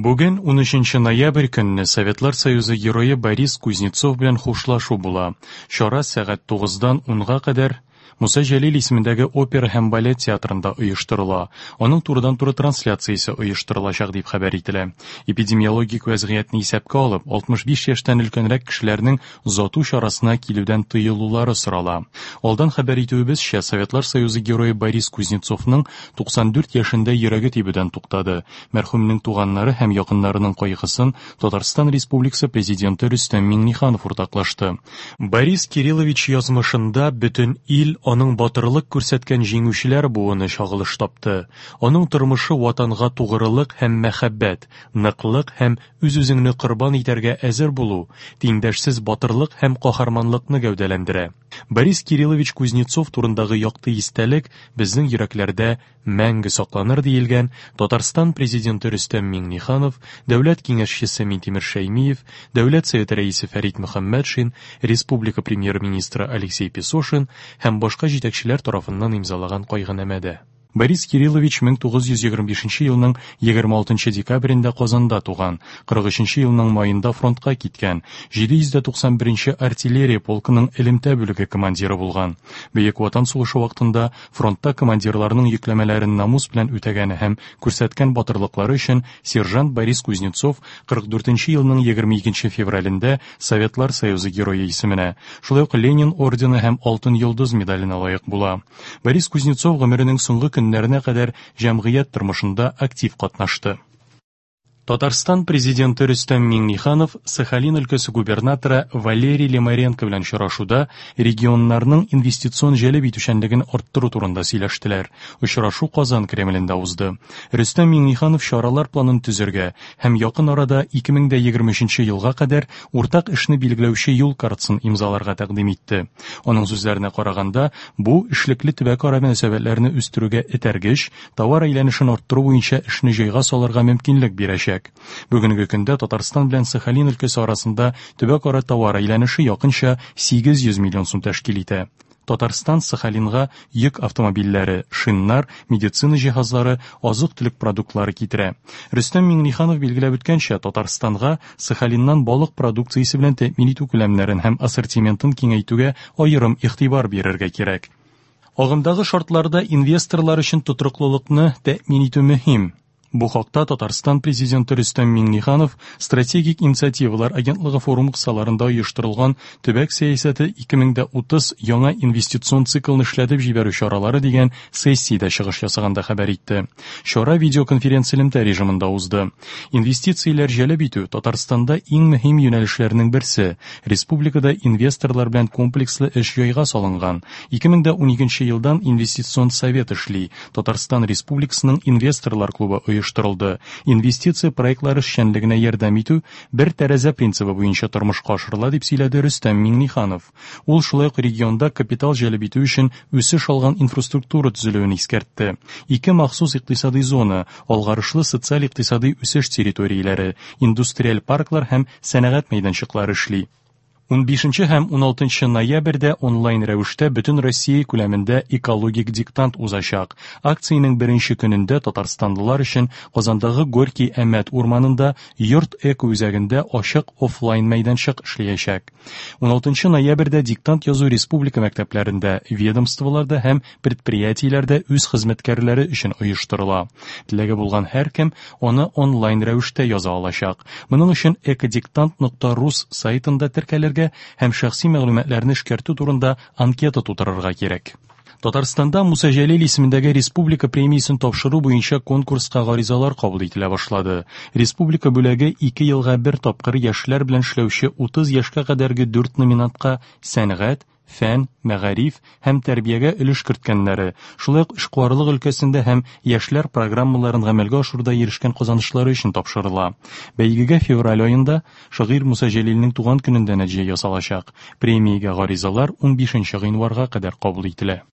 Бүген, 13 ноябрь көнне, Советлар Союзы Герое Борис Кузнецов белән хушлашу була. Чара сәгать 9-дан 10-га кадәр Муса Җәлил исемендәге опера һәм балет театрында оештырыла. Аның турыдан-туры трансляциясе оештырылачак дип хәбәр ителә. Эпидемиологик вәзгыятьне исәпкә алып, 65 яшьтән өлкәнрәк кешеләрнең озату чарасына килүдән тыелулары сорала. Алдан хәбәр итүебезчә, Советлар Союзы Герое Борис Кузнецовның 94 яшендә йөрәге тибүдән туктады. Мәрхүмнең туганнары һәм якыннарының кайгысын Татарстан Республикасы Президенты Рөстәм Миңнеханов уртаклашты. Борис Кириллович язмышында бөтен ил, аның батырлык күрсәткән җиңүчеләр буыны чагылыш тапты. Аның тормышы Ватанга тугрылык һәм мәхәббәт, ныклык һәм үз-үзеңне корбан итәргә әзер булу, тиңдәшсез батырлык һәм каһарманлыкны гәүдәләндерә. Борис Кириллович Кузнецов турындагы якты истәлек безнең йөрәкләрдә мәңге сакланыр, диелгән Татарстан Президенты Рөстәм Миңнеханов, Дәүләт Киңәшчесе Минтимер Шәймиев, Дәүләт Советы Рәисе Фәрит Мөхәммәтшин, республика Премьер-министры Алексей Песошин һәм башка җитәкчеләр тарафыннан имзалаган кайгынамәдә. Борис Кириллович 1925 елның 26 декабрендә Казанда туган, 43 елның маенда фронтка киткән, 791 нче артиллерия полкының элемтә бүлеге командиры булган. Бөек Ватан сугышы вакытында Фронтта командирларның йөкләмәләрен намус белән үтәгәне һәм күрсәткән батырлыклары өчен сержант Борис Кузнецов 44 нче елның 22 нче февралендә Советлар Союзы Герое исеменә, шулай ук Ленин ордены һәм Алтын Йолдыз медаленә лаек була. Борис Кузнецов гомеренең соңгы көннәренә кадәр җәмгыять тормышында актив катнашты. Татарстан Президенты Рөстәм Миңнеханов Сахалин өлкәсе губернаторы Валерий Лимаренко белән очрашуда регионнарның инвестицион җәлеп итүчәнлеген арттыру турында сөйләштеләр. Очрашу Казан Кремлендә узды. Рөстәм Миңнеханов чаралар планын төзергә һәм якын арада 2023 елга кадәр уртак эшне билгеләүче юл картасын имзаларга тәкъдим итте. Аның сүзләренә караганда, бу эшлекле төбәкара мөнәсәбәтләрне үстерүгә этәргеч, товар әйләнешен арттыру буенча эшне җайга салырга мөмкинлек бирәчәк. Бүгенге көндә Татарстан белән Сахалин өлкәсе арасында төбәкара товар әйләнеше якынча 800 миллион сум тәшкил итә. Татарстан Сахалинга йөк автомобильләре, шиннар, медицина җиһазлары, азык-төлек продуктлары китерә. Рөстәм Миңнеханов билгеләп үткәнчә, Татарстанга Сахалиннан балык продукциясе белән тәэмин итү күләмнәрен һәм ассортиментын киңәйтүгә аерым игътибар бирергә кирәк. Агымдагы шартларда инвесторлар өчен тотрыклылыкны тәэмин итү мөһим. Бу хакта Татарстан Президенты Рөстәм Миңнеханов Стратегик инициативалар агентлыгы форумы кысаларында оештырылган Төбәк сәясәте 2030 яңа инвестицион циклны эшләтеп җибәрү чаралары дигән сессиядә чыгыш ясаганда хәбәр итте. Чара видеоконференцэлемтә режимында узды. Инвестицияләр җәлеп итү, Татарстанда иң мөһим юнәлешләрнең берсе. Республикада инвесторлар белән комплекслы эш җайга салынган. 2012 елдан Инвестицион совет эшли, Татарстан Республикасының инвесторлар клубы оештырылды. Инвестиция проектлары эшчәнлегенә ярдәм итү бер тәрәзә принцибы буенча тормышка ашырыла, дип сөйләде Рөстәм Миңнеханов. Ул шулай ук регионда капитал җәлеп итү өчен үсеш алган инфраструктура төзелүен искәртте. Ике махсус икътисадый зона, алгарышлы социаль-икътисадый үсеш территорияләре, индустриаль парклар һәм сәнәгать мәйданчыклары эшли. Унбишенче һәм уналтынчы ноябрьдә онлайн рәвештә бөтен Россия күләмендә экологик диктант узачак. Акциянең беренче көнендә татарстанлылар өчен Казандагы Горький-Әмәт урманында Йорт экоүзәгендә ачык офлайн мәйданчык эшләячәк. Уналтынчы ноябрьдә диктант язу республика мәктәпләрендә, ведомстволарда һәм предприятиеләрдә үз хезмәткәрләре өчен оештырыла. Теләге булган һәркем аны онлайн рәвештә яза алачак. Моның өчен экодиктант нокта рус сайтында теркәлергә һәм шәхси мәгълүматларны эшкәртү турында анкета тутырырга кирәк. Татарстанда Муса Җәлил исемендәге республика премиясен тапшыру буенча конкурска гаризалар кабул ителә башлады. Республика бүләге ике елга бер тапкыр яшьләр белән эшләүче 30 яшькә кадәрге дүрт номинантка сәнгать, фән, мәгариф һәм тәрбиягә өлеш керткәннәре, шулай ук эшкуарлык өлкәсендә һәм яшьләр программаларын гамәлгә ашыруда ирешкән казанышлары өчен тапшырыла. Бәйгегә февраль аенда, шагыйрь Муса Җәлилнең туган көнендә нәтиҗә ясалачак. Премиягә гаризалар унбишенче гыйнварга кадәр кабул ителә.